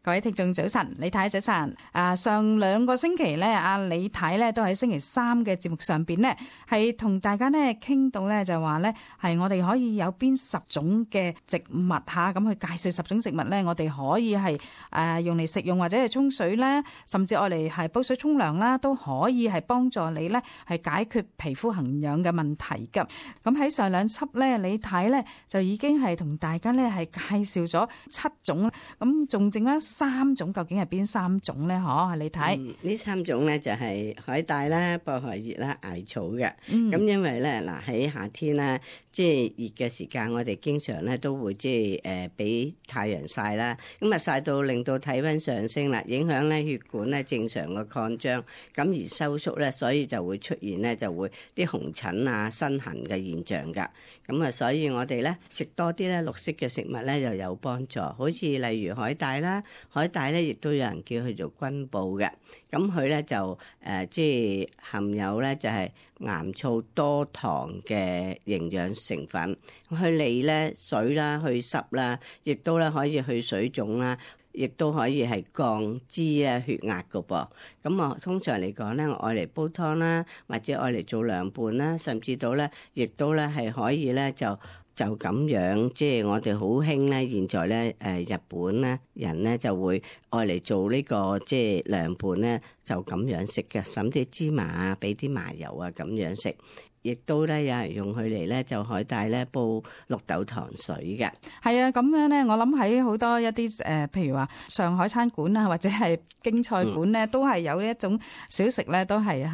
各位聽眾早晨，李太早晨。上2個星期咧，阿李太咧都喺星期3嘅節目上邊咧，係同大家咧傾到咧就話咧，係我哋可以有邊10種嘅植物吓，咁去介紹10種植物咧，我哋可以係用嚟食用或者係沖水咧，甚至愛嚟係煲水沖涼啦，都可以係幫助你咧係解決皮膚痕癢嘅問題噶。咁喺上2輯咧，李太咧就已經係同大家咧係介紹咗7種，咁仲剩翻3種，究竟係邊3種咧？嗬，李太。呢3種咧就係海帶啦、薄荷葉啦、艾草嘅。咁因為咧嗱喺夏天啦，即係熱嘅時間，我哋經常咧都會即係俾太陽曬啦。咁啊曬到令到體温上升啦，影響咧血管咧正常嘅擴張，咁而收縮咧，所以就會出現咧就會啲紅疹啊、身痕嘅現象㗎。咁啊，所以我哋咧食多啲咧綠色嘅食物咧又有幫助，好似例如海帶啦，海帶咧亦都有人叫佢做軍寶嘅。咁佢咧就即係含有咧就係岩醋多糖嘅營養成分，去利咧水啦、去濕啦，亦都咧可以去水腫啦，亦都可以係降脂啊、血壓噶噃。咁我通常嚟講咧，我愛嚟煲湯啦，或者愛嚟做涼拌啦，甚至到咧，亦都咧係可以咧就咁樣，即係我哋好興咧，現在咧日本咧人咧就會愛嚟做呢個即係涼拌咧，就咁樣食嘅，揼啲芝麻啊，俾啲麻油啊咁樣食。亦都咧有人用佢嚟咧就海帶咧煲綠豆糖水嘅。係啊，咁樣咧，我諗喺好多一啲譬如話上海餐館啊，或者係京菜館咧，都係有一種小食咧，都係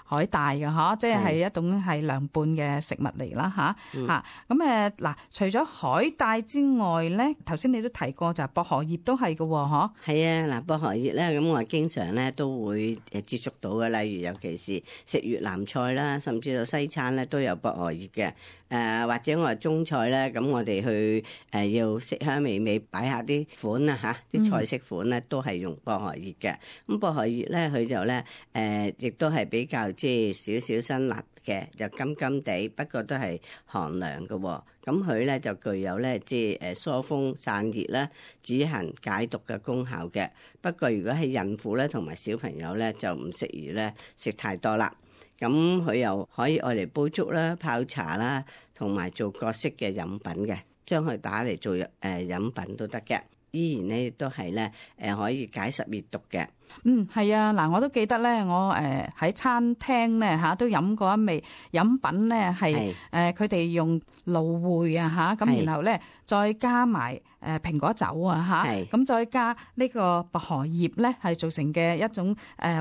海帶嘅嗬，即係一種係涼拌嘅食物嚟啦吓。咁嗱，除咗海帶之外咧，頭先你都提過就係薄荷葉都係嘅喎，嗬。係啊，嗱薄荷葉咧，咁我經常咧都會接觸到嘅，例如尤其是食越南菜啦，甚至到西餐咧都有薄荷葉嘅。或者我係中菜咧，咁我哋去要色香味美擺下啲款啊嚇，啲菜式款咧都係用薄荷葉嘅。咁薄荷葉咧佢就咧亦都係比較即係少少辛辣嘅，就甘甘地，不過都係寒涼嘅喎。咁佢咧就具有咧即係疏風散熱啦、止痕解毒嘅功效嘅。不過如果係孕婦咧同埋小朋友咧就唔適宜咧食太多啦。咁佢又可以愛嚟煲粥啦、泡茶啦，同埋做各式嘅飲品嘅，將佢打嚟做飲品都得嘅。依然咧都係咧可以解濕熱毒嘅。係啊，嗱，我都記得咧，我喺餐廳咧嚇都飲過一味飲品咧，係佢哋用蘆薈啊嚇，咁然後咧再加埋蘋果酒啊嚇，咁再加呢個薄荷葉咧，係做成嘅一種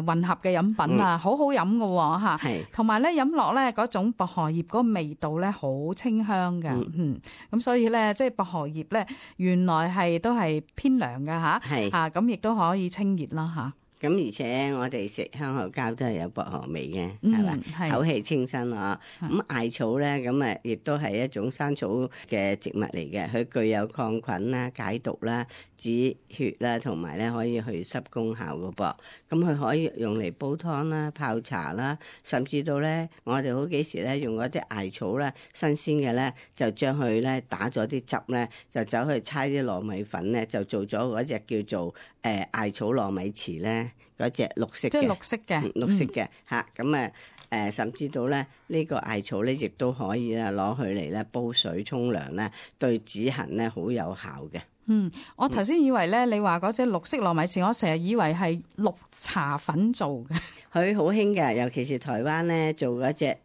混合嘅飲品啊，好好飲㗎喎嚇，同埋咧飲落咧嗰種薄荷葉嗰個味道咧好清香㗎，咁所以咧即係薄荷葉咧原來係都係偏涼㗎嚇，咁亦都可以清熱啦嚇。咁而且我哋食香口膠都係有薄荷味嘅，係嘛？口氣清新啊！咁艾草咧，咁亦都係一種山草嘅植物嚟嘅，佢具有抗菌啦、解毒啦、止血啦，同埋咧可以去濕功效嘅噃。咁佢可以用嚟煲湯啦、泡茶啦，甚至到咧我哋好幾時咧用嗰啲艾草咧新鮮嘅咧，就將佢咧打咗啲汁咧，就走去搓啲糯米粉咧，就做咗嗰隻叫做艾草糯米糍咧。嗰隻綠色嘅，即係綠色嘅，綠色嘅嚇，咁甚至到咧呢個艾草咧，亦都可以咧攞佢嚟咧煲水沖涼咧，對止痕咧好有效嘅。我頭先以為咧，你話嗰隻綠色糯米糍，我成日以為係綠茶粉做嘅。佢好興嘅，尤其是台灣咧做嗰隻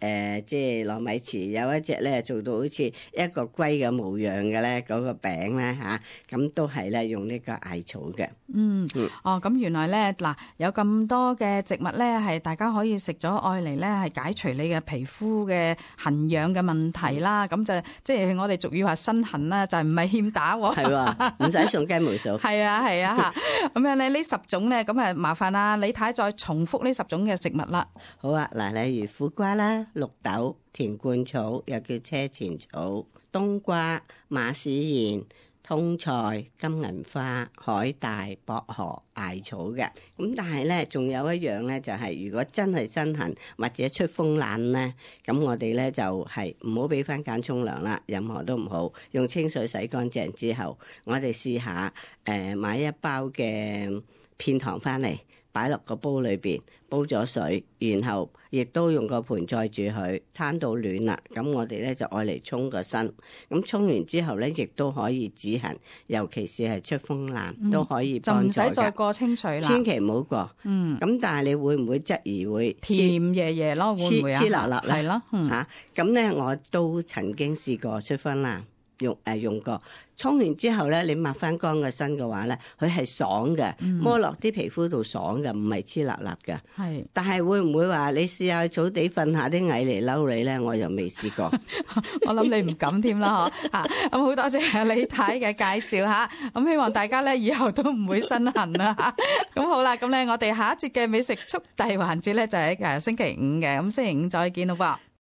即係糯米糍，有一隻咧做到好似一個龜嘅模樣嘅咧，嗰個餅咧嚇，咁都係咧用呢個艾草嘅。咁原來咧嗱有咁多嘅植物咧，係大家可以食咗愛嚟咧，係解除你嘅皮膚嘅痕癢嘅問題啦。咁就即係我哋俗語話身痕啦，就唔係欠打喎。係喎，唔使送雞毛掃。係啊嚇，咁樣咧呢10種咧，咁麻煩啦，李太再重複呢10種嘅食物啦。好啊，嗱，例如苦瓜啦、綠豆、田冠草，又叫車前草、冬瓜、馬屎莧、通菜、金銀花、海帶、薄荷、艾草嘅。咁但係咧，仲有一樣咧，就係如果真係身痕或者出風冷咧，咁我哋咧就係唔好俾番梘沖涼啦，任何都唔好，用清水洗乾淨之後，我哋試下買一包嘅片糖翻嚟，擺落個煲裏邊，煲咗水，然後亦都用個盆載住佢，攤到暖啦。咁我哋咧就愛嚟沖個身。咁沖完之後咧，亦都可以止痕，尤其是係出風冷都可以幫助嘅。就唔使再過清水啦。千祈唔好過。咁但係你會唔會質疑會甜爺爺咯？會唔會啊？黐辣辣咧？係咯。嚇咁咧，我都曾經試過出風冷。用過，沖完之後咧，你抹翻乾個身嘅話咧，佢係爽嘅，摸落啲皮膚度爽嘅，唔係黐辣辣嘅。係，但係會唔會話你試下草地瞓下啲蟻嚟嬲你咧？我又未試過。我諗你唔敢添啦，嗬嚇！咁好多謝李太嘅介紹嚇，咁希望大家咧以後都唔會身痕啦嚇。咁好啦，咁咧我哋下一節嘅美食速遞環節咧就喺星期五嘅，咁星期五再見咯噃。